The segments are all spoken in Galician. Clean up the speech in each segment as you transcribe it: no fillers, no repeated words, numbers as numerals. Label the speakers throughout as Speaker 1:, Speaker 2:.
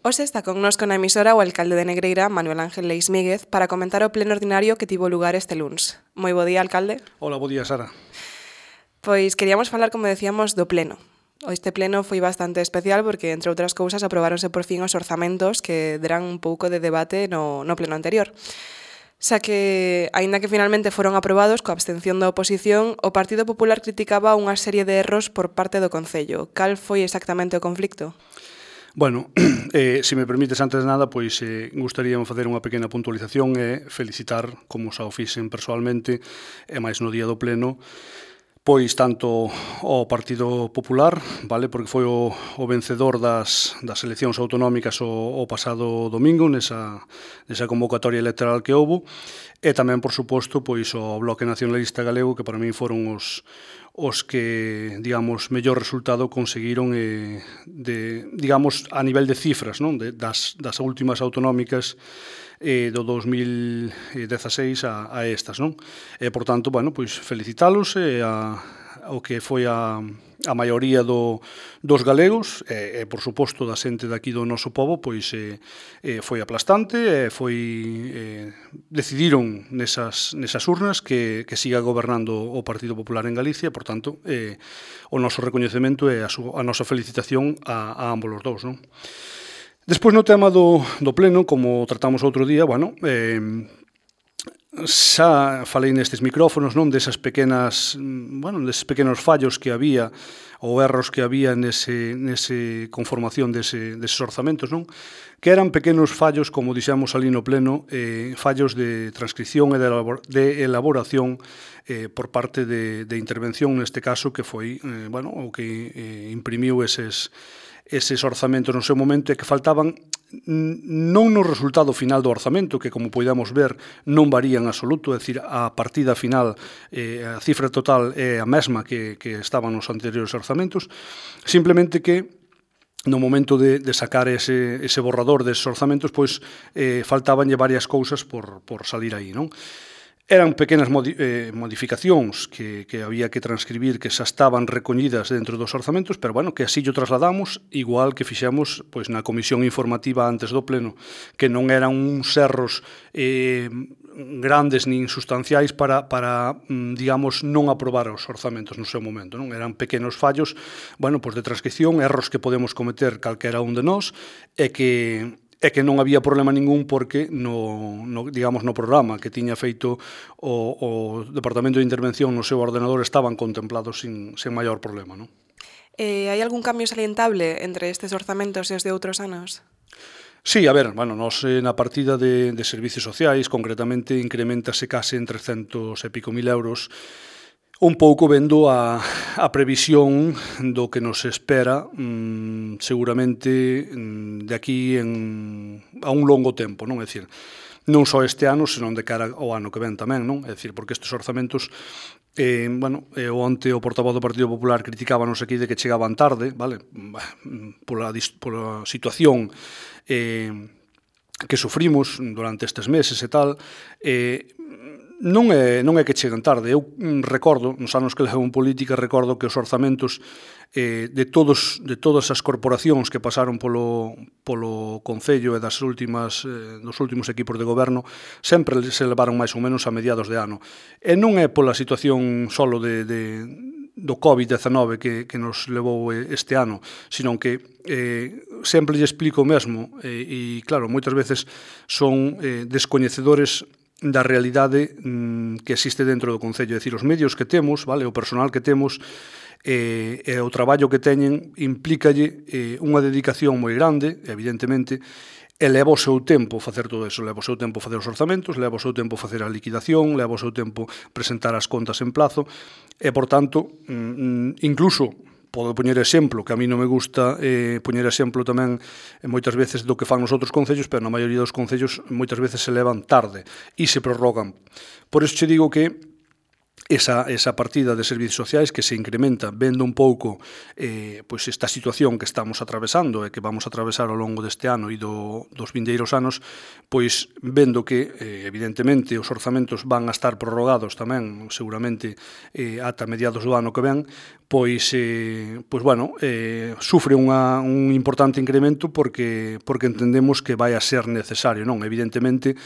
Speaker 1: Hoxe está connosco na emisora o alcalde de Negreira, Manuel Ángel Leis Míguez, para comentar o pleno ordinario que tivo lugar este luns. Moi bo día, alcalde.
Speaker 2: Hola, bo día, Sara.
Speaker 1: Pois queríamos falar, como decíamos, do pleno. Este pleno foi bastante especial porque, entre outras cousas, aprobáronse por fin os orzamentos que deran un pouco de debate no pleno anterior. Xa que, aínda que finalmente foron aprobados coa abstención da oposición, o Partido Popular criticaba unha serie de erros por parte do Concello. Cal foi exactamente o conflicto?
Speaker 2: Bueno, se me permites, antes de nada, pois gustaríame facer unha pequena puntualización e felicitar, como xa o fixen persoalmente, e máis no día do pleno, pois tanto ao Partido Popular, vale, porque foi o vencedor das eleccións autonómicas o pasado domingo, nesa convocatoria electoral que houbo, e tamén, por suposto, pois o Bloque Nacionalista Galego, que para min foron os que, digamos, mellor resultado conseguiron digamos, a nivel de cifras, non? Das últimas autonómicas do 2016 a estas, non? E, por tanto, bueno, pois felicitalos ao que foi a maioría dos galegos e, por suposto, da xente daqui do noso pobo, pois foi aplastante e decidiron nesas urnas que siga gobernando o Partido Popular en Galicia, por tanto, o noso recoñecemento e a nosa felicitación a ambos os dous, non? Despois, no tema do pleno, como tratamos outro día, bueno, xa falei nestes micrófonos, non, deses pequenos fallos que había ou erros que había nese conformación deses orzamentos, non? Que eran pequenos fallos, como dixemos ali no pleno, fallos de transcripción e de elaboración por parte de intervención, neste caso, que foi, o que imprimiu eses orzamentos no seu momento e que faltaban non no resultado final do orzamento, que, como podemos ver, non varía en absoluto, é dicir, a partida final, a cifra total é a mesma que estaban nos anteriores orzamentos, simplemente que no momento de sacar ese borrador deses orzamentos, pois faltabanlle varias cousas por salir aí, non? Eran pequenas modificacións que había que transcribir, que xa estaban recoñidas dentro dos orzamentos, pero, bueno, que así o trasladamos, igual que fixemos pois na comisión informativa antes do pleno, que non eran uns erros grandes nin sustanciais para digamos, non aprobar os orzamentos no seu momento, non? Eran pequenos fallos, de transcripción, erros que podemos cometer calquera un de nós, e que non había problema ningún porque no programa que tiña feito o Departamento de Intervención no seu ordenador estaban contemplados sen maior problema, non?
Speaker 1: Hai algún cambio salientable entre estes orzamentos e os de outros anos?
Speaker 2: Sí, a ver, nos na partida de servicios sociais, concretamente, incrementase case en 300 e pico mil euros, un pouco vendo a previsión do que nos espera seguramente de aquí a un longo tempo, non? É dicir, non só este ano, senón de cara ao ano que ven tamén, non? É dicir, porque estes orzamentos, onte o portavoz do Partido Popular criticábanos aquí de que chegaban tarde, vale? Pola situación que sufrimos durante estes meses e tal, non é que cheguen tarde. Eu recordo, nos anos que levo en política, recordo que os orzamentos de todas as corporacións que pasaron polo Concello e dos últimos equipos de goberno sempre se levaron máis ou menos a mediados de ano. E non é pola situación solo do COVID-19 que nos levou este ano, sino que sempre lle explico o mesmo e, claro, moitas veces son descoñecedores da realidade que existe dentro do Concello. É dicir, os medios que temos, vale, o personal que temos e o traballo que teñen implícalle unha dedicación moi grande, evidentemente, e leva o seu tempo facer todo eso, leva o seu tempo facer os orzamentos, leva o seu tempo facer a liquidación, leva o seu tempo presentar as contas en plazo, e, por tanto, incluso podo poñer exemplo, que a mí non me gusta poñer exemplo tamén moitas veces do que fan os outros concellos, pero na maioría dos concellos moitas veces se levan tarde e se prorrogan. Por iso che digo que esa partida de servizos sociais que se incrementa vendo un pouco pois esta situación que estamos atravesando e que vamos a atravesar ao longo deste ano e dos vindeiros anos, pois vendo que evidentemente os orzamentos van a estar prorrogados tamén seguramente ata mediados do ano que ven, pois bueno, sufre un importante incremento porque entendemos que vai a ser necesario, non? Evidentemente,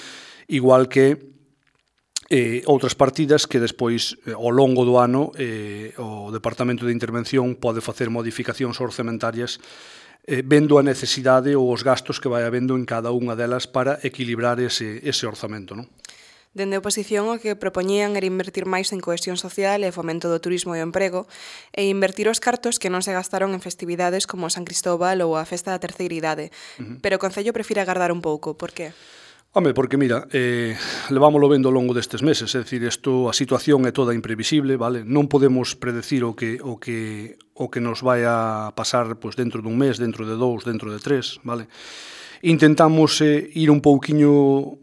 Speaker 2: igual que outras partidas que despois, ao longo do ano, o Departamento de Intervención pode facer modificacións orzamentarias vendo a necesidade ou os gastos que vai habendo en cada unha delas para equilibrar ese orzamento, non?
Speaker 1: Dende a oposición o que propoñían era invertir máis en cohesión social e fomento do turismo e o emprego e invertir os cartos que non se gastaron en festividades como San Cristóbal ou a Festa da Terceira Idade. Pero o Concello prefire agardar un pouco. Por que?
Speaker 2: Home, porque mira, levámoslo vendo ao longo destes meses, é dicir, a situación é toda imprevisible, vale? Non podemos predecir o que nos vai a pasar pois, dentro dun mes, dentro de 2, dentro de 3, vale? Intentamos ir un pouquiño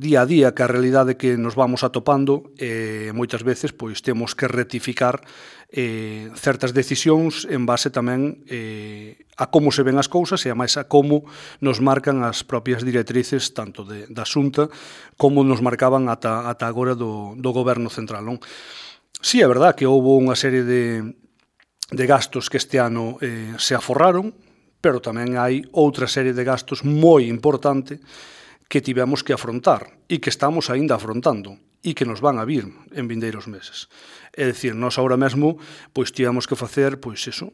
Speaker 2: día a día que a realidade que nos vamos atopando e moitas veces pois temos que rectificar certas decisións en base tamén a como se ven as cousas e a máis a como nos marcan as propias directrices tanto da Xunta como nos marcaban ata agora do Goberno Central, non? Si, é verdad que houve unha serie de gastos que este ano se aforraron, pero tamén hai outra serie de gastos moi importante que tivemos que afrontar e que estamos aínda afrontando e que nos van a vir en vindeiros meses. É dicir, nós agora mesmo pois tivemos que facer pois eso,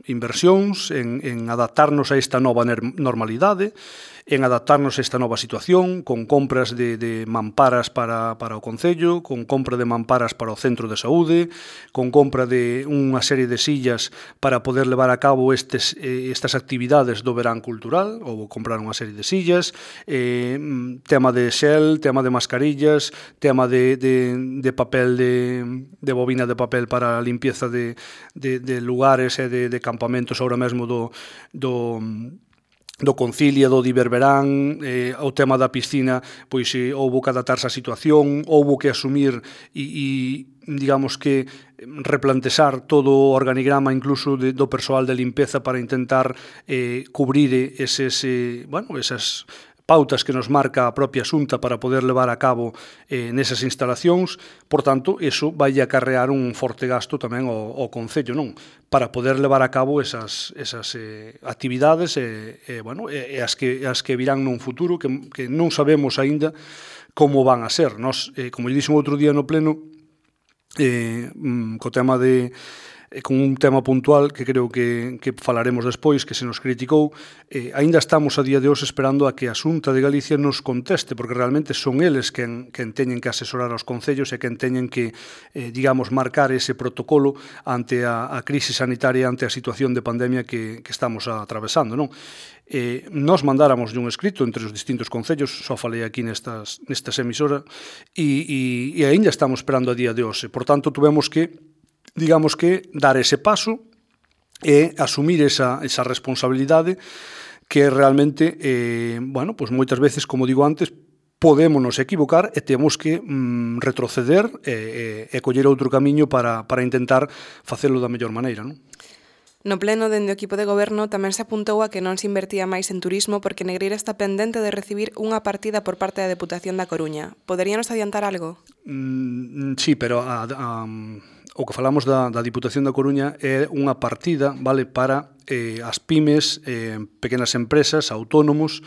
Speaker 2: inversións en adaptarnos a esta nova normalidade, en adaptarnos a esta nova situación, con compras de mamparas para o Concello, con compra de mamparas para o centro de saúde, con compra de unha serie de sillas para poder levar a cabo estas actividades do verán cultural, ou comprar unha serie de sillas, tema de xel, tema de mascarillas, tema de papel de bobina de papel para a limpieza de lugares e de campamentos ahora mesmo do Concilia, do Diververán, o tema da piscina, pois houbo que adaptarse á situación, houbo que asumir e digamos que replantexar todo o organigrama incluso do persoal de limpeza para intentar cubrir esas pautas que nos marca a propia Xunta para poder levar a cabo nesas instalacións. Por tanto, iso vai acarrear un forte gasto tamén ao Concello, non? Para poder levar a cabo esas actividades e as que virán nun futuro que non sabemos aínda como van a ser. Nos, como lle dixen outro día no pleno, co tema con un tema puntual que creo que falaremos despois, que se nos criticou, aínda estamos a día de hoxe esperando a que a Xunta de Galicia nos conteste, porque realmente son eles quen teñen que asesorar aos concellos e quen teñen que, digamos, marcar ese protocolo ante a crise sanitaria, ante a situación de pandemia que estamos atravesando, non? Nos mandáramos un escrito entre os distintos concellos, só falei aquí nestas emisoras, e aínda estamos esperando a día de hoxe. Por tanto, tuvemos que digamos que dar ese paso e asumir esa responsabilidade que realmente, pois moitas veces, como digo antes, podémonos equivocar e temos que retroceder e coller outro camiño para intentar facelo da mellor maneira, non?
Speaker 1: No pleno, dende o equipo de goberno, tamén se apuntou a que non se invertía máis en turismo porque Negreira está pendente de recibir unha partida por parte da Deputación da Coruña. Poderíanos adiantar algo?
Speaker 2: Sí, pero o que falamos da Diputación da Coruña é unha partida, vale, para as pymes, pequenas empresas, autónomos,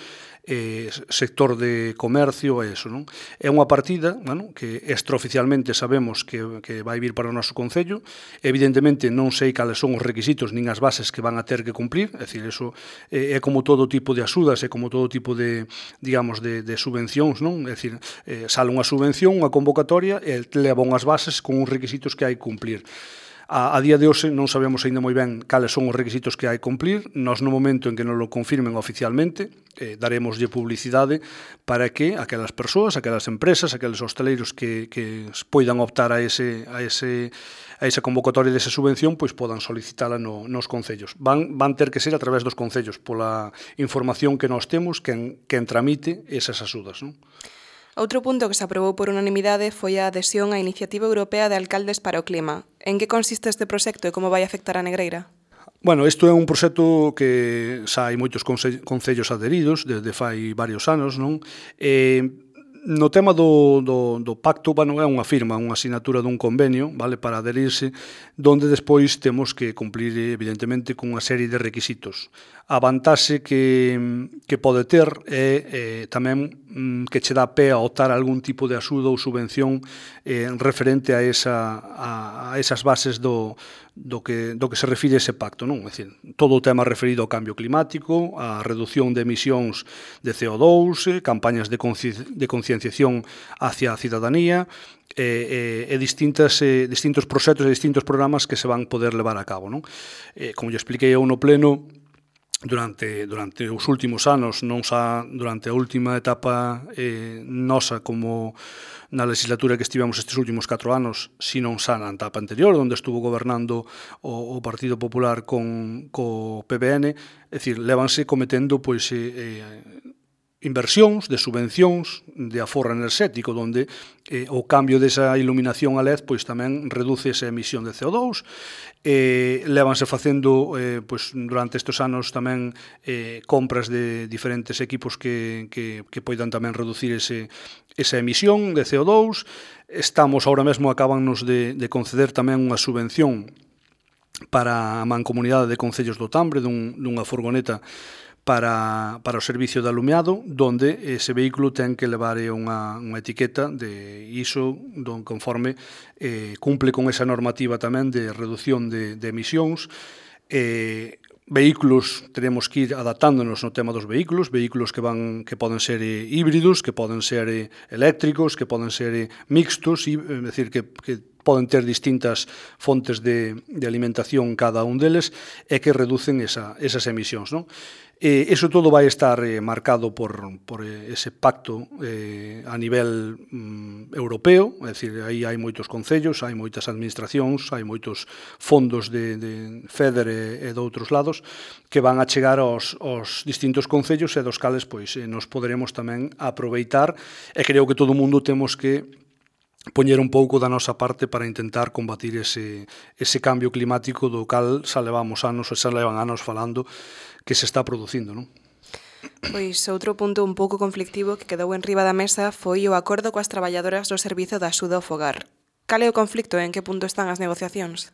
Speaker 2: sector de comercio e eso, non? É unha partida, que extraoficialmente sabemos que vai vir para o noso Concello. Evidentemente non sei cales son os requisitos nin as bases que van a ter que cumplir, é dicir, eso é como todo tipo de axudas, é como todo tipo de, digamos, de subvencións, non? É dicir, sale unha subvención, unha convocatoria e leva unhas bases con uns requisitos que hai que cumplir. A día de hoxe non sabemos aínda moi ben cales son os requisitos que hai que cumplir. Nós, no momento en que nos lo confirmen oficialmente, daremoslle publicidade para que aquelas persoas, aquelas empresas, aqueles hosteleiros que poidan optar a esa convocatoria desa subvención, pois podan solicitala nos concellos. Van ter que ser a través dos concellos, pola información que nós temos, quen tramite esas axudas, non?
Speaker 1: Outro punto que se aprobou por unanimidade foi a adhesión á Iniciativa Europea de Alcaldes para o Clima. En que consiste este proxecto e como vai afectar a Negreira?
Speaker 2: Bueno, isto é un proxecto que xa hai moitos concellos adheridos desde fai varios anos, non? No tema do pacto, bueno, é unha firma, unha asinatura dun convenio, vale, para adherirse, donde despois temos que cumplir, evidentemente, con unha serie de requisitos. A vantaxe que pode ter é tamén que che dá pé a optar algún tipo de axuda ou subvención referente a esas bases do que se refire a ese pacto, non? É dicir, todo o tema referido ao cambio climático, a reducción de emisións de CO2, campañas de concienciación hacia a cidadanía e distintos proxectos e distintos programas que se van poder levar a cabo, non? Como lle expliquei eu no pleno, durante os últimos anos, non xa durante a última etapa nosa como na legislatura que estivemos estes últimos 4 anos, sino xa na etapa anterior, onde estuvo gobernando o Partido Popular co PBN, é dicir, lévanse cometendo pois inversións, de subvencións, de aforro enerxético, onde o cambio desa iluminación a LED pois tamén reduce esa emisión de CO2. Lévanse facendo pois, durante estes anos tamén compras de diferentes equipos que poidan tamén reducir esa emisión de CO2. Estamos, ahora mesmo, acábannos de conceder tamén unha subvención para a Mancomunidade de Concellos do Tambre, dunha furgoneta para o servicio de alumeado, donde ese vehículo ten que levar unha etiqueta de ISO conforme cumple con esa normativa tamén de reducción de emisións. Vehículos, teremos que ir adaptándonos no tema dos vehículos que poden ser híbridos, que poden ser eléctricos, que poden ser mixtos, é dicir, que poden ter distintas fontes de alimentación cada un deles e que reducen esas emisións, non? Eso todo vai estar marcado por ese pacto a nivel europeo, é dicir, aí hai moitos concellos, hai moitas administracións, hai moitos fondos de FEDER e de outros lados que van a chegar aos distintos concellos e dos cales pois nos poderemos tamén aproveitar, e creo que todo o mundo temos que poñer un pouco da nosa parte para intentar combatir ese cambio climático do cal xa levamos anos, xa levan anos falando que se está producindo, non?
Speaker 1: Pois outro punto un pouco conflictivo que quedou en riba da mesa foi o acordo coas traballadoras do Servizo de Axuda ao Fogar. Cal é o conflicto e en que punto están as negociacións?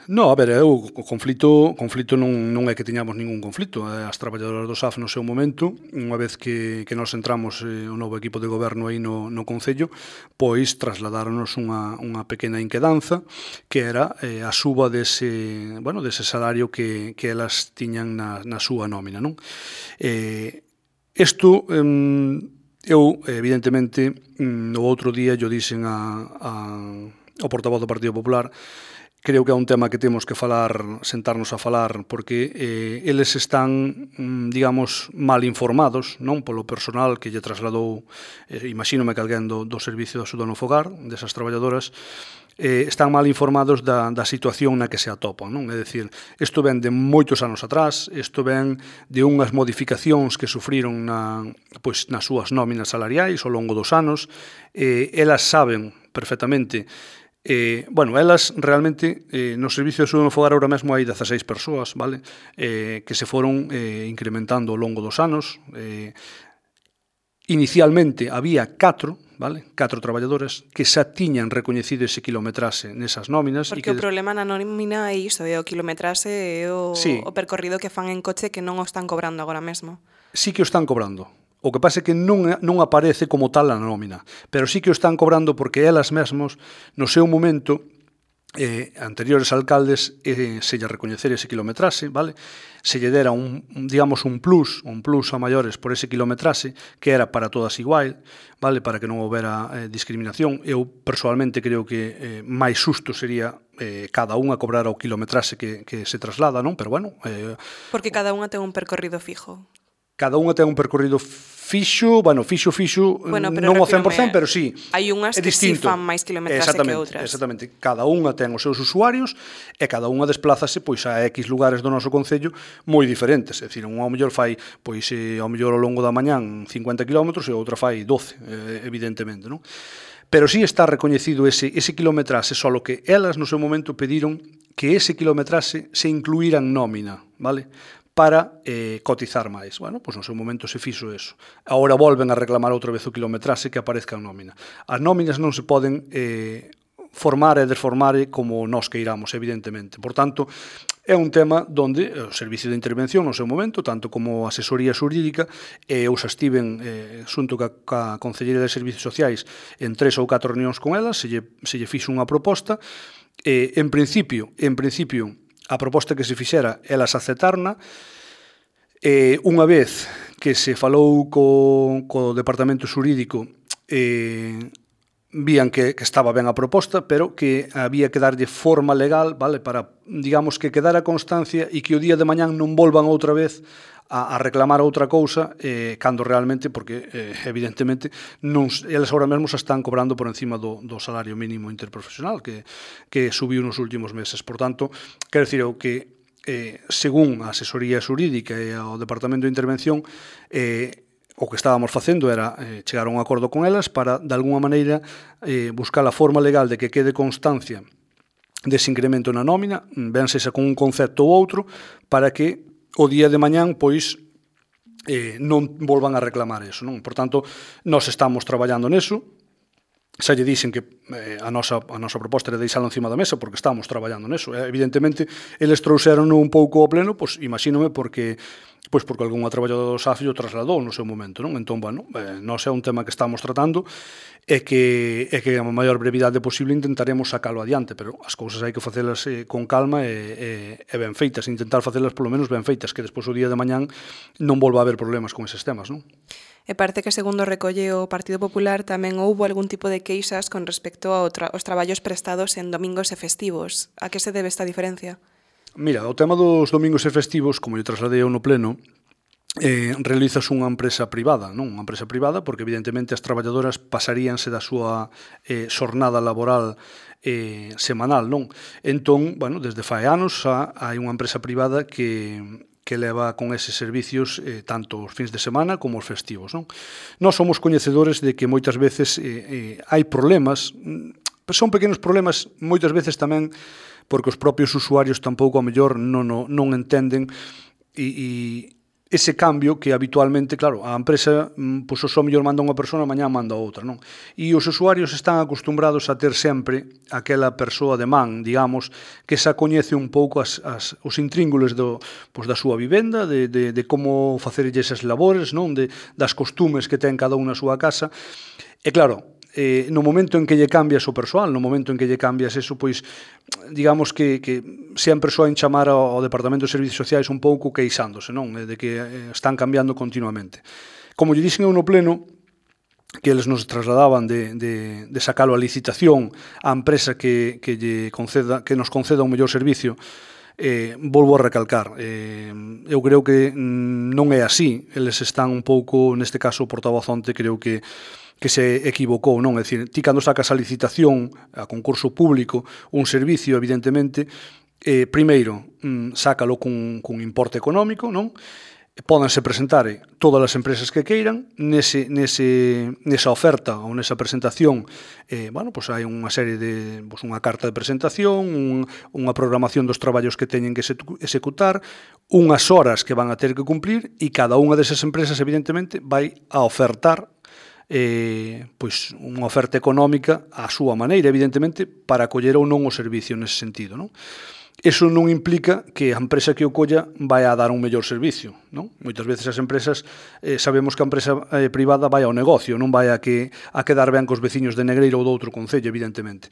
Speaker 2: No, a ver, o conflito non é que teñamos ningún conflito. As traballadoras do SAF no seu momento, unha vez que nos entramos o novo equipo de goberno aí no Concello, pois trasladáronos unha pequena inquedanza que era a suba dese salario que elas tiñan na súa nómina, non? Isto, eu, evidentemente, o outro día yo dixen ao portavoz do Partido Popular. Creo que é un tema que temos que sentarnos a falar, porque eles están, digamos, mal informados, non polo personal que lle trasladou, imagínome que alguén do Servicio de Axuda no Fogar, desas traballadoras, están mal informados da situación na que se atopan, non? É dicir, isto ven de moitos anos atrás, isto ven de unhas modificacións que sufriron nas súas nóminas salariais ao longo dos anos, elas saben perfectamente. Elas realmente no Servicio de Axuda no Fogar ahora mesmo hai 16 persoas, vale? Que se foron incrementando ao longo dos anos. Inicialmente había 4, vale? 4 traballadoras que xa tiñan recoñecido ese kilometraxe nesas nóminas.
Speaker 1: Porque o problema na nómina é iso, é o kilometraxe e o percorrido que fan en coche que non o están cobrando agora mesmo.
Speaker 2: Sí que o están cobrando. O que pasa é que non aparece como tal a nómina, pero sí que o están cobrando porque elas mesmos, no seu momento, anteriores alcaldes, se lle recoñecer ese kilometraxe, vale? Se lle dera un plus a maiores por ese kilometraxe, que era para todas igual, vale? Para que non houbera discriminación. Eu, personalmente, creo que máis xusto sería cada unha cobrar o kilometraxe que se traslada, non? Pero, bueno...
Speaker 1: Porque cada unha ten un percorrido fijo.
Speaker 2: Cada unha ten un percorrido fixo, fixo, non ao 100%, pero sí,
Speaker 1: hai unhas que si fan máis kilometraxe que outras.
Speaker 2: Exactamente, cada unha ten os seus usuarios e cada unha desplázase pois a X lugares do noso concello moi diferentes, é dicir, unha ao mellor fai pois ao mellor ao longo da mañán 50 km e outra fai 12, evidentemente, non? Pero sí está recoñecido ese kilometraxe, solo que elas no seu momento pediron que ese kilometraxe se incluíra en nómina, vale? Para cotizar máis. Bueno, pois no seu momento se fixo eso. Agora volven a reclamar outra vez o kilometraxe que aparezca en nómina. As nóminas non se poden formar e desformar como nós queiramos, evidentemente. Por tanto, é un tema onde o Servicio de Intervención no seu momento, tanto como a asesoría xurídica, eu xa estiven xunto ca Concellería de Servicios Sociais en 3 ou 4 reunións con elas, se lle fixo unha proposta, en principio, a proposta que se fixera, elas aceptarna. Unha vez que se falou co Departamento Xurídico, vían que estaba ben a proposta, pero que había que darlle forma legal, vale, para, digamos, que quedara constancia e que o día de mañán non volvan outra vez a reclamar outra cousa, cando realmente, porque evidentemente eles agora mesmo se están cobrando por encima do salario mínimo interprofesional que subiu nos últimos meses. Por tanto, quero dicir que según a asesoría xurídica e o Departamento de Intervención, o que estábamos facendo era chegar a un acordo con elas para, de alguna maneira, buscar a forma legal de que quede constancia dese incremento na nómina, ben sexa con un concepto ou outro, para que o día de mañán, pois, non volvan a reclamar eso, non? Por tanto, nós estamos traballando neso, xa lle dixen que a nosa proposta era deixalo encima da mesa porque estamos traballando neso. Evidentemente, eles trouxeron un pouco ao pleno, pois, imagínome, porque algunha traballadora do SAFI o trasladou no seu momento, non? Entón, nós é un tema que estamos tratando e que a maior brevidade posible intentaremos sacalo adiante, pero as cousas hai que facelas con calma e ben feitas, intentar facelas polo menos ben feitas, que despois o día de mañán non volva a haber problemas con eses temas, non?
Speaker 1: E parece que, segundo recolle o Partido Popular, tamén houbo algún tipo de queixas con respecto aos traballos prestados en domingos e festivos. A que se debe esta diferencia?
Speaker 2: Mira, o tema dos domingos e festivos, como eu trasladei no pleno, realizas unha empresa privada, non? Unha empresa privada porque evidentemente as traballadoras pasaríanse da súa xornada laboral semanal, non? Entón, desde fai anos hai unha empresa privada que leva con eses servicios tanto os fins de semana como os festivos, non? Nós somos coñecedores de que moitas veces hai problemas, son pequenos problemas, moitas veces tamén porque os propios usuarios tampouco a mellor non entenden e ese cambio que habitualmente, claro, a empresa pois o mellor manda unha persona, mañá manda outra, non? E os usuarios están acostumbrados a ter sempre aquela persoa de man, digamos, que xa coñece un pouco os intríngules da súa vivenda, de como facerlle esas labores, non? Das costumes que ten cada un na súa casa. E claro, no momento en que lle cambias o persoal, no momento en que lle cambias eso, pois, digamos que sempre soen chamar ao Departamento de Servicios Sociais un pouco queixándose, non? De que están cambiando continuamente. Como lle dixen eu no pleno, que eles nos trasladaban de sacalo a licitación á empresa que nos conceda un mellor servicio, volvo a recalcar, eu creo que non é así, eles están un pouco, neste caso o portavoz onte, creo que se equivocou, non? É dicir, ti cando sacas a licitación, a concurso público, un servicio, evidentemente, primeiro, sácalo cun importe económico, non? Pódense presentar todas as empresas que queiran, nesa oferta ou nesa presentación, hai unha serie de, unha carta de presentación, unha programación dos traballos que teñen que executar, unhas horas que van a ter que cumplir e cada unha desas empresas, evidentemente, vai a ofertar unha oferta económica á súa maneira, evidentemente, para coller ou non o servicio nese sentido, non? Eso non implica que a empresa que o colla vai a dar un mellor servicio, non? Moitas veces as empresas, sabemos que a empresa privada vai ao negocio, non vai a quedar ben cos veciños de Negreira ou de outro concello, evidentemente.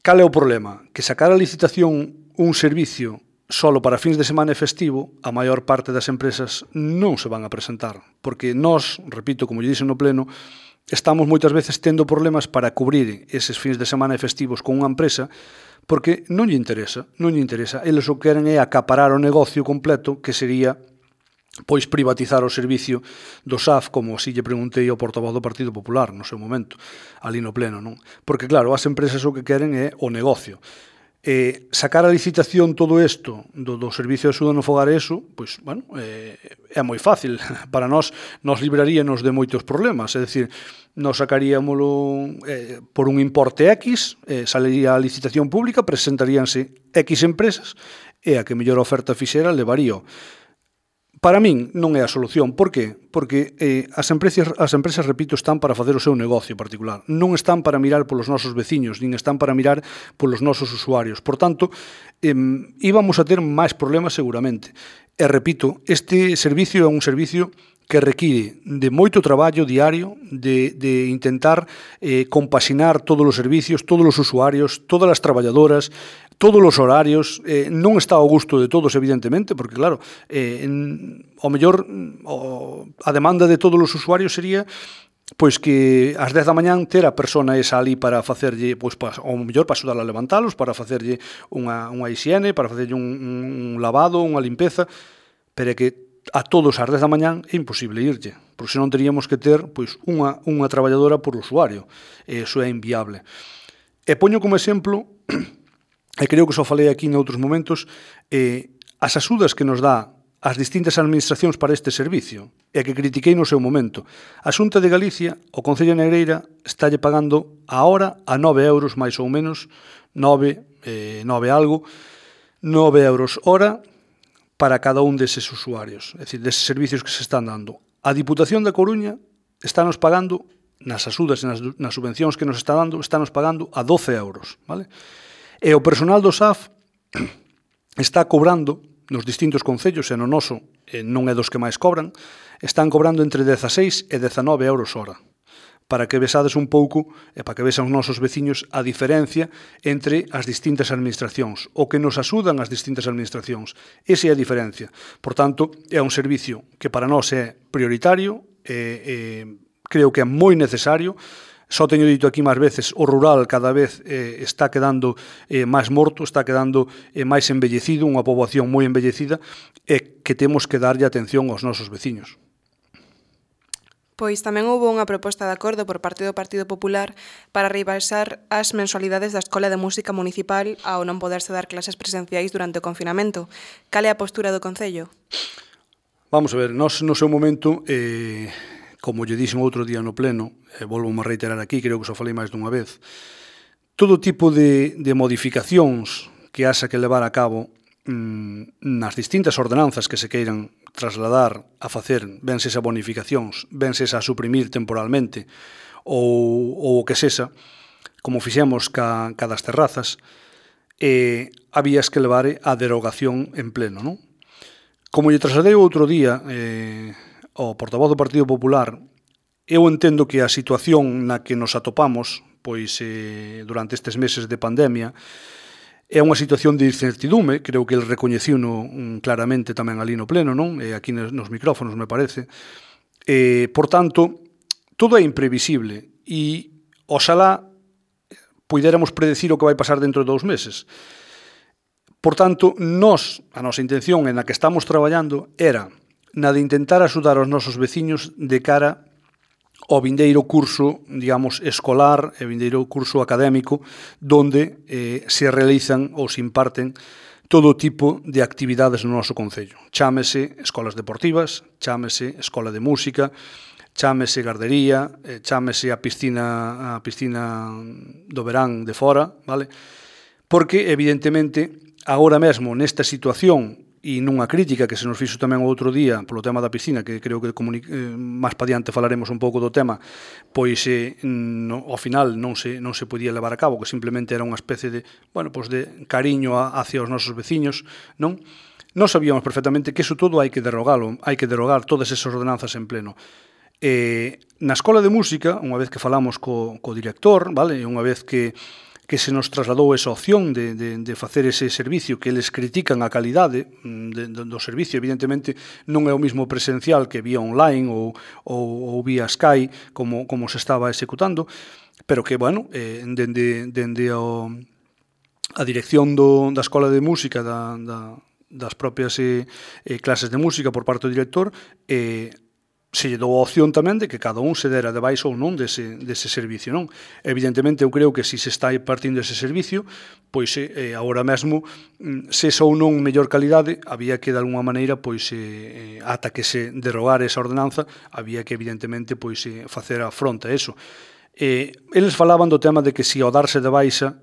Speaker 2: Cal é o problema? Que sacar a licitación un servicio solo para fins de semana e festivo, a maior parte das empresas non se van a presentar, porque nós, repito, como lle dixen no pleno, estamos moitas veces tendo problemas para cubrir eses fins de semana e festivos con unha empresa porque non lle interesa. Eles o que queren é acaparar o negocio completo, que sería pois privatizar o servicio do SAF, como así lle preguntei ao portavoz do Partido Popular no seu momento, ali no pleno, non? Porque claro, as empresas o que queren é o negocio. Sacar a licitación todo isto do servicio de axuda no fogar eso, pois, bueno, é moi fácil. Para nós libraríanos de moitos problemas, é dicir, nos sacaríamolo por un importe X, salería a licitación pública, presentaríanse X empresas, e a que mellor oferta fixera levarío. Para min non é a solución. Por qué? Porque as empresas, repito, están para facer o seu negocio particular. Non están para mirar polos nosos veciños, nin están para mirar polos nosos usuarios. Por tanto, íbamos a ter máis problemas seguramente. E repito, este servicio é un servicio que require de moito traballo diario, de intentar compaxinar todos os servicios, todos os usuarios, todas as traballadoras, todos os horarios. Non está ao gusto de todos, evidentemente, porque, claro, ao mellor a demanda de todos os usuarios sería pois que ás 10 da mañán ter a persona esa ali para facerlle, pois, ao mellor para axudar a levantalos, para facerlle unha hixiene, para facerlle un lavado, unha limpeza, pero é que a todos ás 10 da mañán é imposible irlle, porque senón teríamos que ter pois unha traballadora por usuario, e iso é inviable. E poño como exemplo, e creo que só falei aquí noutros momentos, as axudas que nos dá as distintas administracións para este servicio, e que critiquei no seu momento. A Xunta de Galicia, o Concello de Negreira, estálle pagando a hora a 9 euros, máis ou menos, 9 algo, 9 euros hora, para cada un deses usuarios, é dicir, deses servicios que se están dando. A Diputación da Coruña estános pagando, nas axudas e nas subvencións que nos está dando, estános pagando a 12 euros, vale? E o personal do SAF está cobrando, nos distintos concellos, e no noso non é dos que máis cobran, están cobrando entre 16 e 19 euros hora, para que vexades un pouco, e para que vexan os nosos veciños a diferencia entre as distintas administracións, o que nos axudan as distintas administracións. Esa é a diferencia. Por tanto, é un servicio que para nós é prioritario, creo que é moi necesario. Só teño dito aquí máis veces, o rural cada vez está quedando máis morto, está quedando máis embellecido, unha poboación moi embellecida, e que temos que darlle atención aos nosos veciños.
Speaker 1: Pois tamén houve unha proposta de acordo por parte do Partido Popular para rebaixar as mensualidades da Escola de Música Municipal ao non poderse dar clases presenciais durante o confinamento. Cal é a postura do Concello?
Speaker 2: Vamos a ver, nós no seu momento, como lle dixen outro día no pleno, volvo a reiterar aquí, creo que só falei máis dunha vez, todo tipo de modificacións que haxa que levar a cabo nas distintas ordenanzas que se queiran trasladar a facer, vense a bonificacións, vense a suprimir temporalmente ou o que sexa, como fixemos ca das terrazas, habías que levar a derogación en pleno, non? Como lle trasladei outro día ao portavoz do Partido Popular, eu entendo que a situación na que nos atopamos pois durante estes meses de pandemia é unha situación de incertidume, creo que el recoñeciuno claramente tamén ali no pleno, non? Aquí nos micrófonos, me parece. Por tanto, todo é imprevisible e oxalá puidéramos predecir o que vai pasar dentro de 2 meses. Por tanto, a nosa intención en a que estamos traballando era na de intentar axudar aos nosos veciños de cara ao vindeiro curso, digamos, escolar e vindeiro curso académico, donde se realizan ou se imparten todo tipo de actividades no noso concello. Chámese escolas deportivas, chámese escola de música, chámese gardería, chámese a piscina do verán de fora, vale? Porque, evidentemente, agora mesmo, nesta situación, e nunha crítica que se nos fixo tamén o outro día polo tema da piscina, que creo que máis pa diante falaremos un pouco do tema, pois ao final non se podía levar a cabo, que simplemente era unha especie de, bueno, pois de cariño hacia os nosos veciños, non? Nós sabíamos perfectamente que iso todo hai que derogalo, hai que derogar todas esas ordenanzas en pleno. Na escola de música, unha vez que falamos co director, vale, unha vez que se nos trasladou esa opción de facer ese servicio, que eles critican a calidade do servicio. Evidentemente, non é o mismo presencial que vía online ou vía Sky, como se estaba executando, pero que, bueno, dende a dirección da Escola de Música da propias clases de música por parte do director, se lle dou a opción tamén de que cada un se dera de baixo ou non dese servicio, non? Evidentemente, eu creo que se está partindo ese servicio, pois agora mesmo, se ou non mellor calidade, había que de alguma maneira, pois ata que se derogara esa ordenanza, había que evidentemente pois facer a fronte a eso. Eles falaban do tema de que se ao darse de baixa,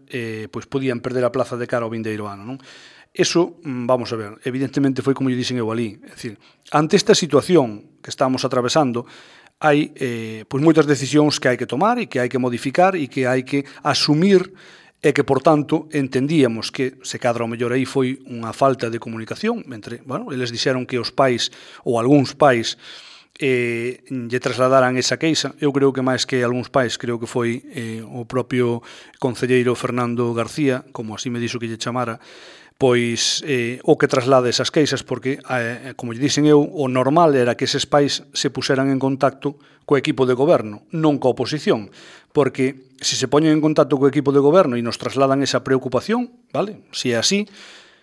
Speaker 2: pois podían perder a plaza de cara ao vindeiro ano, non? Eso, vamos a ver, evidentemente foi como lle dixen eu ali, é dicir, ante esta situación que estamos atravesando, hai pois moitas decisións que hai que tomar e que hai que modificar e que hai que asumir e que, por tanto, entendíamos que, se cadra o mellor aí, foi unha falta de comunicación entre, bueno, eles dixeron que os pais, ou algúns pais, lle trasladaran esa queixa. Eu creo que máis que algúns pais, creo que foi o propio concelleiro Fernando García, como así me dixo que lle chamara, pois o que traslade esas queixas, porque, como lle dixen eu, o normal era que eses pais se puseran en contacto co equipo de goberno, non coa oposición, porque se se poñen en contacto co equipo de goberno e nos trasladan esa preocupación, vale? Se é así,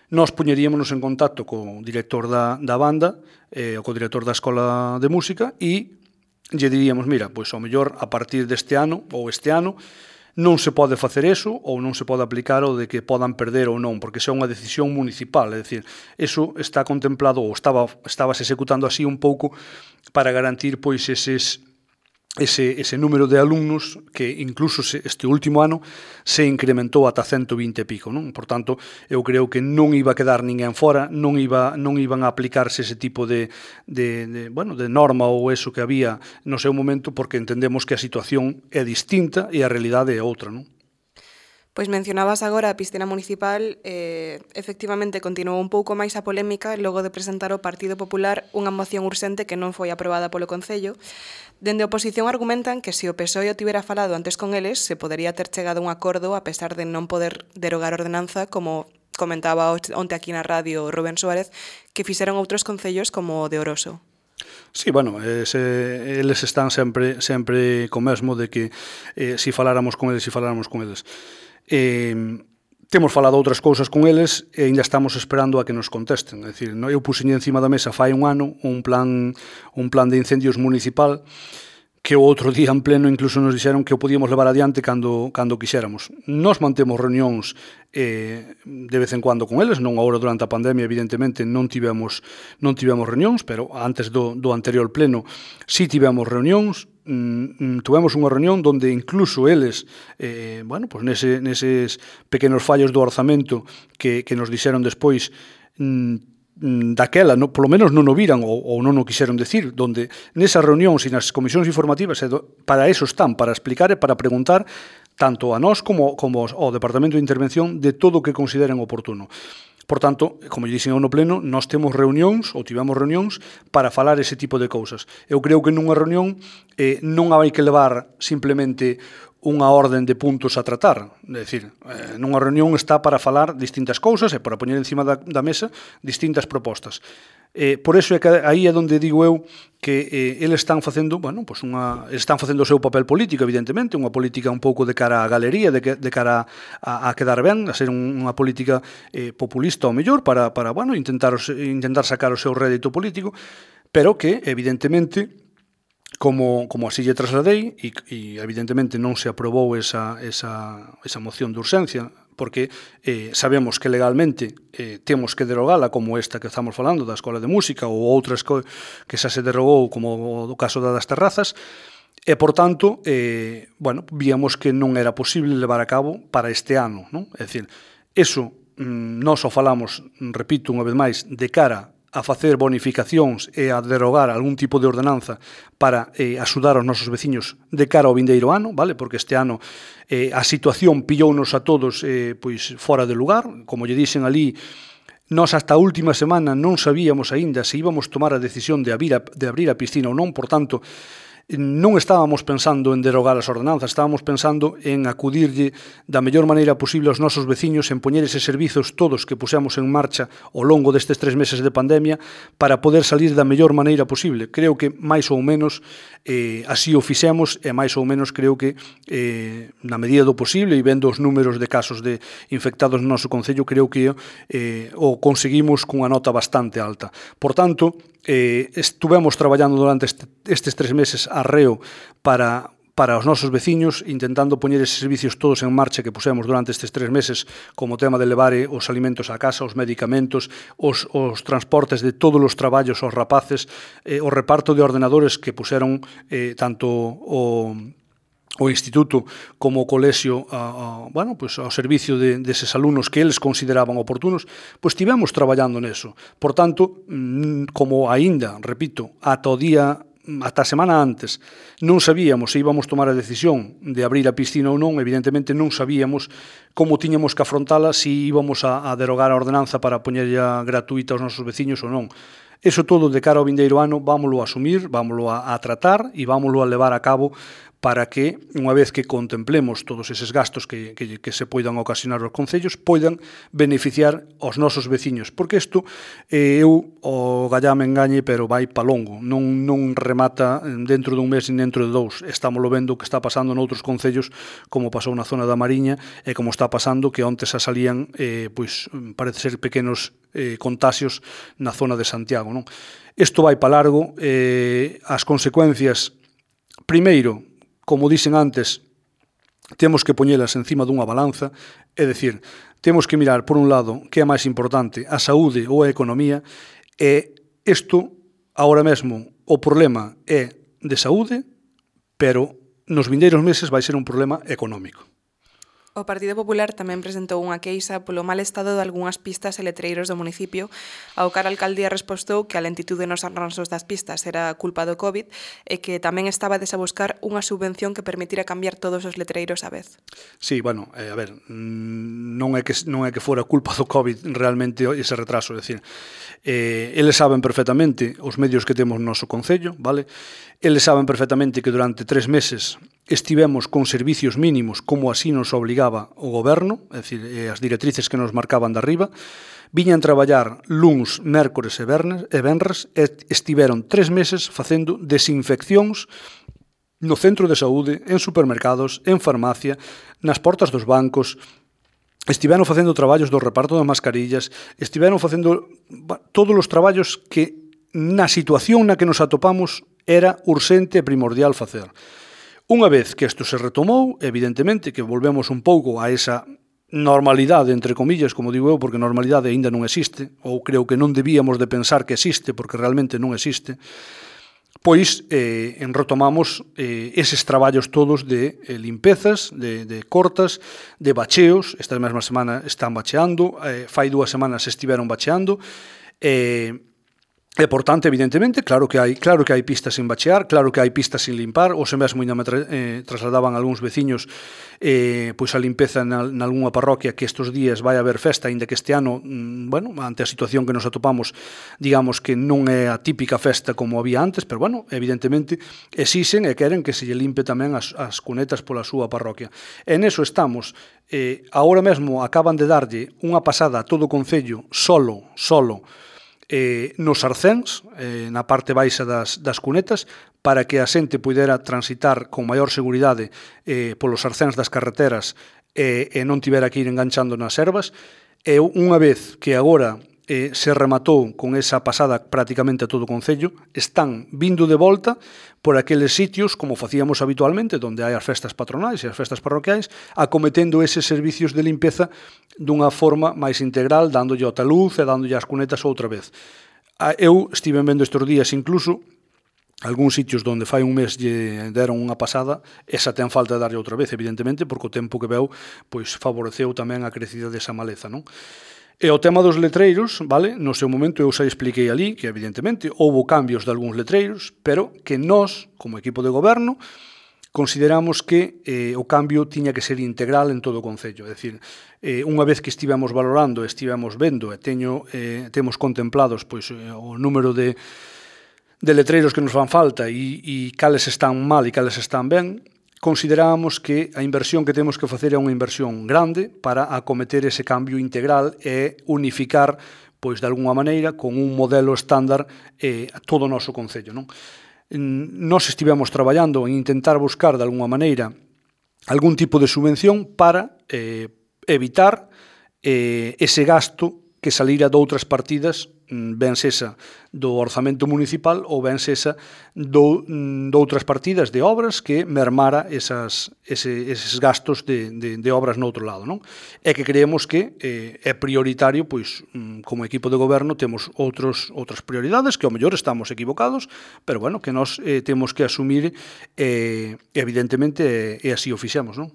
Speaker 2: nós poñeríamos en contacto co director da banda, ou co director da escola de música, e lle diríamos, mira, pois ao mellor a partir deste ano, ou este ano, non se pode facer eso ou non se pode aplicar o de que podan perder ou non, porque xa é unha decisión municipal, é dicir, eso está contemplado ou estabas executando así un pouco para garantir pois ese número de alumnos que incluso este último ano se incrementou ata 120 e pico, non? Por tanto, eu creo que non iba a quedar ninguén fora, non iban a aplicarse ese tipo de norma ou eso que había no seu momento, porque entendemos que a situación é distinta e a realidade é outra, non?
Speaker 1: Pois mencionabas agora a piscina municipal, efectivamente continuou un pouco máis a polémica logo de presentar o Partido Popular unha moción urxente que non foi aprobada polo Concello. Dende a oposición argumentan que se o PSOE o tivera falado antes con eles, se podería ter chegado a un acordo a pesar de non poder derogar a ordenanza, como comentaba onte aquí na radio Rubén Suárez, que fixeron outros concellos como o de Oroso.
Speaker 2: Sí, bueno, eles están sempre co mesmo de que si faláramos con eles. Temos falado outras cousas con eles e ainda estamos esperando a que nos contesten. É dicir, eu puxen encima da mesa fai un ano un plan de incendios municipal que o outro día en pleno incluso nos dixeron que o podíamos levar adiante cando quixéramos. Nos mantemos reunións de vez en cuando con eles, non agora durante a pandemia, evidentemente non tivemos reunións, pero antes do anterior pleno sí tivemos reunións. Tuvemos unha reunión onde incluso eles, pues neses pequenos fallos do orzamento que nos dixeron despois, daquela, polo menos non o viran ou non o quixeron decir, donde nesas reunións e nas comisións informativas para eso están, para explicar e para preguntar tanto a nós como ao Departamento de Intervención de todo o que consideren oportuno. Por tanto, como lle dixen eu no pleno, nós temos reunións, ou tivemos reunións, para falar ese tipo de cousas. Eu creo que nunha reunión non hai que levar simplemente unha orden de puntos a tratar. É dicir, nunha reunión está para falar distintas cousas e para poñer encima da mesa distintas propostas. Por eso é que aí é onde digo eu que eles están facendo, están facendo o seu papel político, evidentemente, unha política un pouco de cara á galería, de cara a quedar ben, a ser unha política populista ao mellor para intentar sacar o seu rédito político, pero que, evidentemente, como así lle trasladei, e evidentemente non se aprobou esa moción de urxencia, porque sabemos que legalmente temos que derogala, como esta que estamos falando da Escola de Música ou outras que xa se derogou, como o caso das terrazas, e, por tanto, víamos que non era posible levar a cabo para este ano, non? É dicir, eso nós o falamos, repito unha vez máis, de cara a facer bonificacións e a derogar algún tipo de ordenanza para axudar aos nosos veciños de cara ao vindeiro ano, vale? Porque este ano a situación pillounos a todos pois fora de lugar, como lle dixen ali, nós hasta a última semana non sabíamos aínda se íbamos tomar a decisión de abrir a piscina ou non, por tanto, non estábamos pensando en derogar as ordenanzas, estábamos pensando en acudirlle da mellor maneira posible aos nosos veciños, en poñer eses servizos todos que pusemos en marcha ao longo destes 3 meses de pandemia para poder salir da mellor maneira posible. Creo que máis ou menos así o fixemos e máis ou menos creo que na medida do posible e vendo os números de casos de infectados no noso concello, creo que o conseguimos cunha nota bastante alta. Por tanto, estuvemos traballando durante estes 3 meses arreo para os nosos veciños, intentando poñer eses servicios todos en marcha que pusemos durante estes 3 meses, como o tema de levar os alimentos á casa, os medicamentos, os transportes de todos os traballos aos rapaces, o reparto de ordenadores que puseron tanto o instituto como o colexio ao servicio deses alumnos que eles consideraban oportunos, pois estivemos traballando neso. Por tanto, como aínda, repito, ata a semana antes non sabíamos se íbamos tomar a decisión de abrir a piscina ou non, evidentemente non sabíamos como tiñamos que afrontala, se íbamos a derogar a ordenanza para poñerlla gratuita aos nosos veciños ou non. Eso todo de cara ao vindeiro ano vámolo a asumir, vámolo a tratar e vámolo a levar a cabo para que, unha vez que contemplemos todos eses gastos que se poidan ocasionar aos concellos, poidan beneficiar aos nosos veciños. Porque isto, eu o gallame engañe, pero vai pa longo. Non remata dentro dun mes nin dentro de 2. Estámoslo vendo que está pasando noutros concellos, como pasou na zona da Mariña, e como está pasando que onte xa salían, parece ser pequenos contaxios na zona de Santiago. Non? Isto vai pa largo. As consecuencias, primeiro, como dixen antes, temos que poñelas encima dunha balanza, é dicir, temos que mirar, por un lado, que é máis importante, a saúde ou a economía, e isto, agora mesmo, o problema é de saúde, pero nos vindeiros meses vai ser un problema económico.
Speaker 1: O Partido Popular tamén presentou unha queixa polo mal estado de algunhas pistas e letreiros do municipio, ao que a alcaldía respostou que a lentitude nos arranxos das pistas era culpa do COVID e que tamén estaba a buscar unha subvención que permitira cambiar todos os letreiros á vez.
Speaker 2: Sí, bueno, a ver, non é que fora culpa do COVID realmente ese retraso, é dicir, eles saben perfectamente os medios que temos no noso concello, vale? Eles saben perfectamente que durante 3 meses estivemos con servicios mínimos como así nos obligaba o goberno, é dicir, as directrices que nos marcaban de arriba, viñan traballar luns, mércores e venres e estiveron 3 meses facendo desinfeccións no centro de saúde, en supermercados, en farmacia, nas portas dos bancos, estiveron facendo traballos do reparto de mascarillas, estiveron facendo todos os traballos que na situación na que nos atopamos era urxente e primordial facer. Unha vez que isto se retomou, evidentemente que volvemos un pouco a esa normalidade, entre comillas, como digo eu, porque normalidade aínda non existe, ou creo que non debíamos de pensar que existe, porque realmente non existe, pois retomamos eses traballos todos de limpezas, de cortas, de bacheos. Esta mesma semana están bacheando, fai 2 semanas estiveron bacheando, e, por tanto, evidentemente, claro que hai pistas sin bachear, claro que hai pistas sin limpar, ou se mesmo ainda me trasladaban algúns veciños pois a limpeza nalgúnha parroquia que estes días vai haber festa, aínda que este ano, bueno, ante a situación que nos atopamos, digamos que non é a típica festa como había antes, pero, bueno, evidentemente, exixen e queren que se lle limpe tamén as cunetas pola súa parroquia. E neso estamos. Agora mesmo acaban de darlle unha pasada a todo o concello solo, nos arcéns, na parte baixa das cunetas, para que a xente pudera transitar con maior seguridade polos arcéns das carreteras e non tivera que ir enganchando nas ervas. E unha vez que agora se rematou con esa pasada prácticamente a todo o concello, están vindo de volta por aqueles sitios, como facíamos habitualmente, onde hai as festas patronais e as festas parroquiais, acometendo eses servicios de limpeza dunha forma máis integral, dándolle o taluz e dándolle as cunetas outra vez. Eu estive vendo estes días incluso algúns sitios onde fai un mes lle deron unha pasada, esa ten falta de darlle outra vez, evidentemente, porque o tempo que veu pois favoreceu tamén a crecida desa maleza, non? E o tema dos letreiros, vale? No seu momento eu xa expliquei ali que, evidentemente, houbo cambios de algúns letreiros, pero que nós, como equipo de goberno, consideramos que o cambio tiña que ser integral en todo o concello. É dicir, unha vez que estivemos valorando, estivemos vendo e temos contemplados pois o número de letreiros que nos fan falta e cales están mal e cales están ben, considerábamos que a inversión que temos que facer é unha inversión grande para acometer ese cambio integral e unificar, pois, de alguna maneira, con un modelo estándar todo o noso concello, non? Nós estivemos traballando en intentar buscar, de alguna maneira, algún tipo de subvención para evitar ese gasto que salira de outras partidas, ben sesa do orzamento municipal ou ben sesa de outras partidas de obras que mermara eses gastos de obras no outro lado, non? É que creemos que é prioritario, pois, como equipo de goberno, temos outras prioridades, que ao mellor estamos equivocados, pero, bueno, que nós temos que asumir, evidentemente, e así o fixemos, non?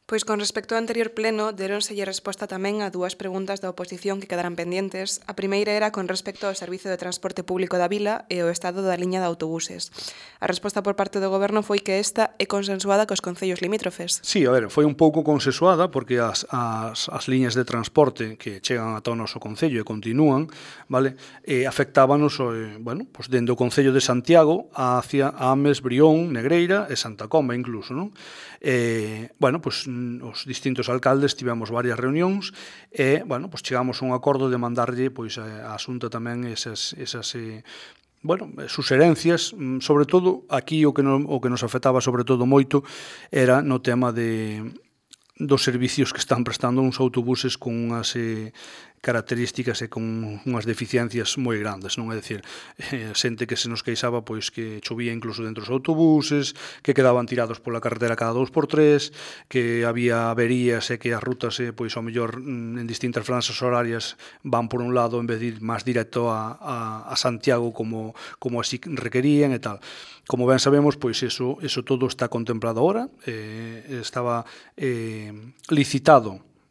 Speaker 1: Pois con respecto ao anterior pleno, deronselle resposta tamén a dúas preguntas da oposición que quedaran pendientes. A primeira era con respecto ao servizo de transporte público da vila e o estado da liña de autobuses. A resposta por parte do goberno foi que esta é consensuada cos concellos limítrofes.
Speaker 2: Sí, a ver, foi un pouco consensuada porque as liñas de transporte que chegan ata o noso concello e continúan, vale, afectábanos, bueno, pues dende o concello de Santiago hacia Ames, Brión, Negreira e Santa Comba incluso, non? Bueno, pues os distintos alcaldes tivemos varias reunións e, bueno, pues chegamos a un acordo de mandarlle, pois, a Xunta tamén esas bueno, suxerencias, sobre todo aquí o que nos afectaba sobre todo moito era no tema dos servicios que están prestando uns autobuses con unhas características e con unhas deficiencias moi grandes, non? É dicir, xente que se nos queixaba pois que chovía incluso dentro dos autobuses, que quedaban tirados pola carretera cada 2x3, que había averías e que as rutas pois ao mellor en distintas franxas horarias van por un lado en vez de ir máis directo a Santiago como así requerían e tal. Como ben sabemos, pois eso todo está contemplado agora, estaba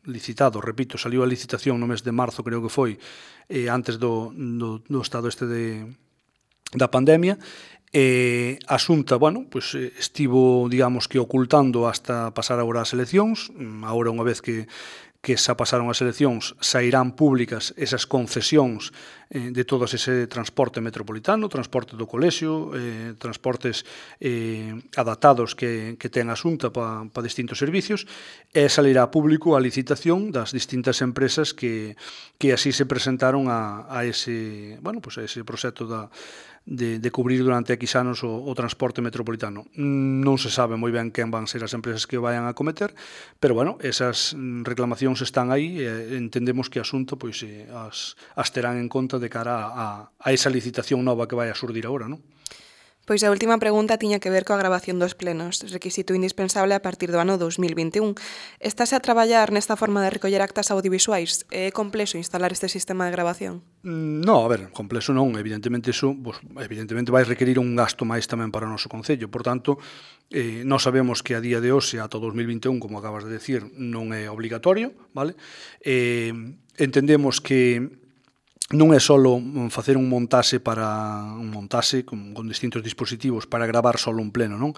Speaker 2: licitado, repito, saliu a licitación no mes de marzo, creo que foi, antes do estado da pandemia, a Xunta, bueno, pois estivo, digamos que ocultando hasta pasar agora as eleccións, agora unha vez que xa pasaron as eleccións, sairán públicas esas concesións de todo ese transporte metropolitano, transporte do colexio, transportes adaptados que ten a Xunta para distintos servicios, e salirá público a licitación das distintas empresas que así se presentaron a ese, bueno, pues a ese proxecto de cubrir durante X anos o transporte metropolitano. Non se sabe moi ben quen van ser as empresas que vayan a cometer, pero, bueno, esas reclamacións están aí e entendemos que a Xunta pois, as terán en conta de cara a esa licitación nova que vai a xurdir agora, non?
Speaker 1: Pois a última pregunta tiña que ver coa gravación dos plenos, requisito indispensable a partir do ano 2021. Estase a traballar nesta forma de recoller actas audiovisuais? É complexo instalar este sistema de grabación?
Speaker 2: No, a ver, complexo non, evidentemente iso, pues, evidentemente vai requerir un gasto máis tamén para o noso concello, por tanto, nós sabemos que a día de hoxe, ata 2021, como acabas de decir, non é obligatorio, vale? Entendemos que non é só facer un montaxe con distintos dispositivos para gravar só un pleno, non?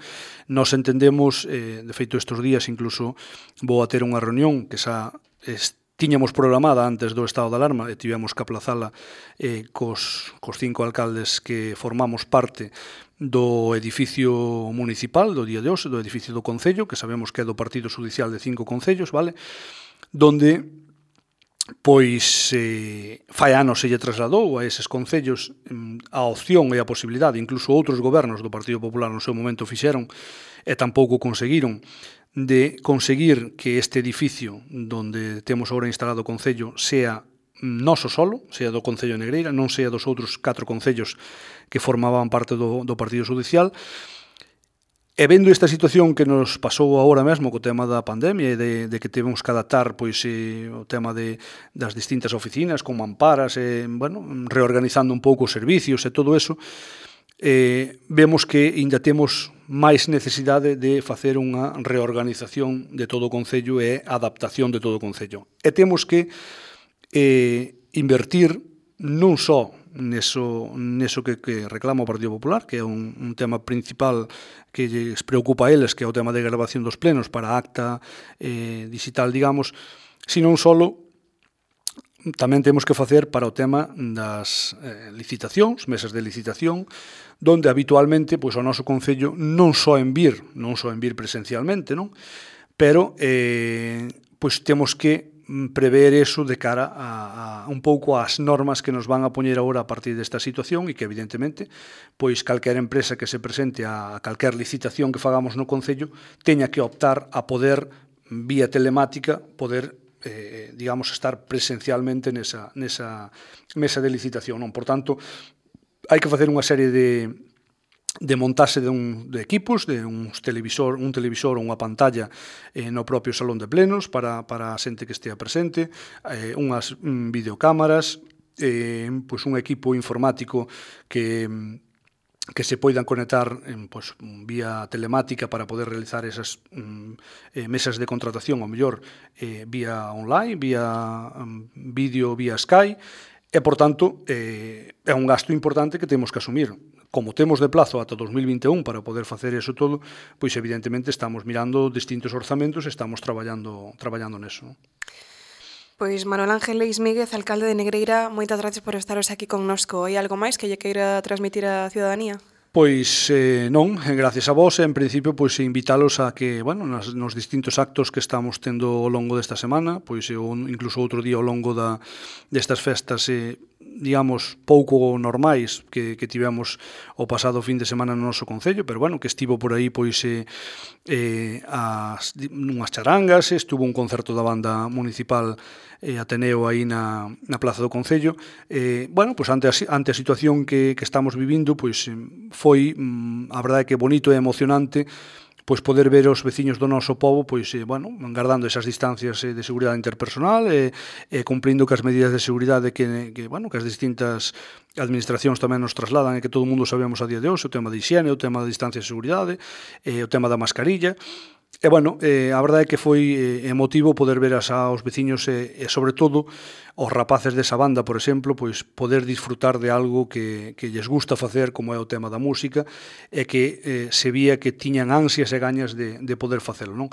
Speaker 2: Nos entendemos, de feito estes días incluso vou a ter unha reunión que xa tiñamos programada antes do estado de alarma e tivemos que aplazala cos 5 alcaldes que formamos parte do edificio municipal do día de hoxe, do edificio do Concello, que sabemos que é do Partido Judicial de 5 concellos, vale? Donde pois fai anos se lle trasladou a eses concellos a opción e a posibilidade, incluso outros gobernos do Partido Popular no seu momento fixeron e tampouco conseguiron, de conseguir que este edificio donde temos agora instalado o Concello sea noso solo, sea do Concello de Negreira, non sea dos outros 4 concellos que formaban parte do Partido Judicial. E vendo esta situación que nos pasou agora mesmo co tema da pandemia e de que temos que adaptar pois, o tema das distintas oficinas con mamparas, bueno, reorganizando un pouco os servicios e todo eso, vemos que ainda temos máis necesidade de facer unha reorganización de todo o Concello e adaptación de todo o Concello. E temos que invertir non só neso que reclama o Partido Popular, que é un tema principal que lles preocupa a eles, que é o tema de grabación dos plenos para acta digital, digamos, sino só tamén temos que facer para o tema das licitacións, mesas de licitación, donde habitualmente pois, o noso Concello non só en vir presencialmente, non? Pero pois temos que prever eso de cara a un pouco ás normas que nos van a poñer agora a partir desta situación e que evidentemente pois calquera empresa que se presente a calquer licitación que fagamos no Concello teña que optar a poder vía telemática poder digamos, estar presencialmente nesa mesa de licitación. Non? Por tanto, hai que facer unha serie de montaxe de equipos, de un televisor ou unha pantalla no propio salón de plenos para a xente que estea presente, unhas videocámaras, pois un equipo informático que se poidan conectar pois, vía telemática para poder realizar esas mesas de contratación, ao mellor vía online, vía vídeo, vía Skype, e, por tanto, é un gasto importante que temos que asumir. Como temos de plazo ata 2021 para poder facer eso todo, pois evidentemente estamos mirando distintos orzamentos e estamos traballando neso.
Speaker 1: Pois Manuel Ángel Leis Míguez, alcalde de Negreira, moitas gracias por estaros aquí connosco. Hai algo máis que lle queira transmitir á ciudadanía?
Speaker 2: Pois non, gracias a vos, en principio pois invitalos a que, bueno, nos distintos actos que estamos tendo ao longo desta semana, pois incluso outro día ao longo destas festas digamos, pouco normais que tivemos o pasado fin de semana no noso Concello, pero bueno, que estivo por aí pois unhas charangas, estuvo un concerto da banda municipal Ateneo aí na Plaza do Concello. Bueno, pois ante a situación que estamos vivindo, pois foi, a verdade que bonito e emocionante pois poder ver os veciños do noso pobo pois bueno, guardando esas distancias de seguridade interpersonal e cumprindo cas medidas de seguridade que bueno, que as distintas administracións tamén nos trasladan e que todo o mundo sabemos a día de hoxe, o tema de higiene, o tema de distancia de seguridade, o tema da mascarilla. E, bueno, a verdade é que foi emotivo poder ver aos veciños e, sobre todo, os rapaces desa banda, por exemplo, pois poder disfrutar de algo que lles gusta facer, como é o tema da música, e que se vía que tiñan ansias e gañas de poder facelo, non?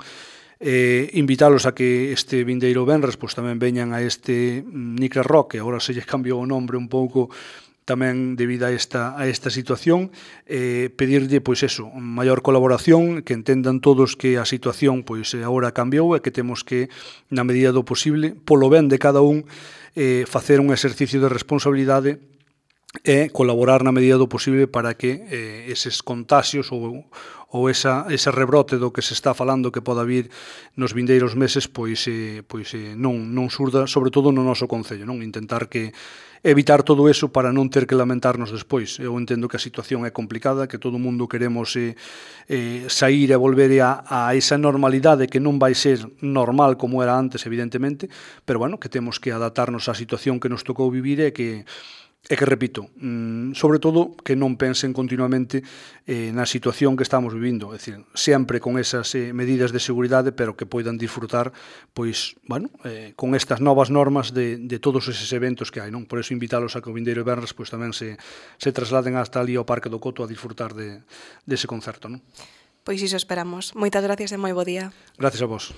Speaker 2: Invitalos a que este vindeiro venres pois tamén veñan a este Nicra Rock, que agora se lle cambiou o nombre un pouco tamén debido a esta situación, pedirlle pois eso, maior colaboración, que entendan todos que a situación pois agora cambiou e que temos que, na medida do posible, polo ben de cada un, facer un exercicio de responsabilidade e colaborar na medida do posible para que eses contaxios ou ese rebrote do que se está falando que poda vir nos vindeiros meses pois non surda, sobre todo no noso Concello, non intentar que evitar todo eso para non ter que lamentarnos despois. Eu entendo que a situación é complicada, que todo o mundo queremos sair e volver a esa normalidade que non vai ser normal como era antes, evidentemente, pero bueno, que temos que adaptarnos á situación que nos tocou vivir e que repito, sobre todo que non pensen continuamente na situación que estamos vivindo, é dicir, sempre con esas medidas de seguridade, pero que poidan disfrutar, pois, bueno, con estas novas normas de todos eses eventos que hai, non? Por eso invitalos a que o vindeiro venres pois tamén se trasladen hasta ali ao Parque do Coto a disfrutar dese concerto, non?
Speaker 1: Pois iso esperamos. Moitas gracias e moi bo día.
Speaker 2: Gracias a vos.